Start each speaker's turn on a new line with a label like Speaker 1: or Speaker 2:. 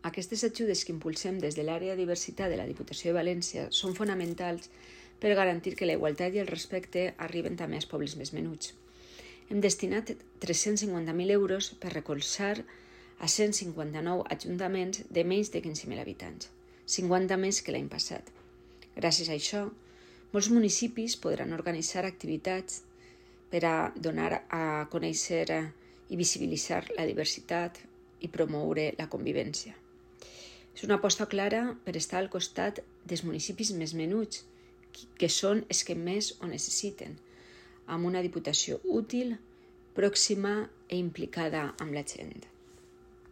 Speaker 1: Aquestes ajudes que impulsem des de l'àrea de diversitat de la Diputació de València són fonamentals per garantir que la igualtat i el respecte arriben també als pobles més menuts. Hem destinat 350.000 euros per recolzar a 159 ajuntaments de menys de 15.000 habitants, 50 més que l'any passat. Gràcies a això, molts municipis podran organitzar activitats per a donar a conèixer i visibilitzar la diversitat i promoure la convivència. És una aposta clara per estar al costat dels municipis més menuts, que són els que més ho necessiten, amb una diputació útil, pròxima i implicada amb la gent.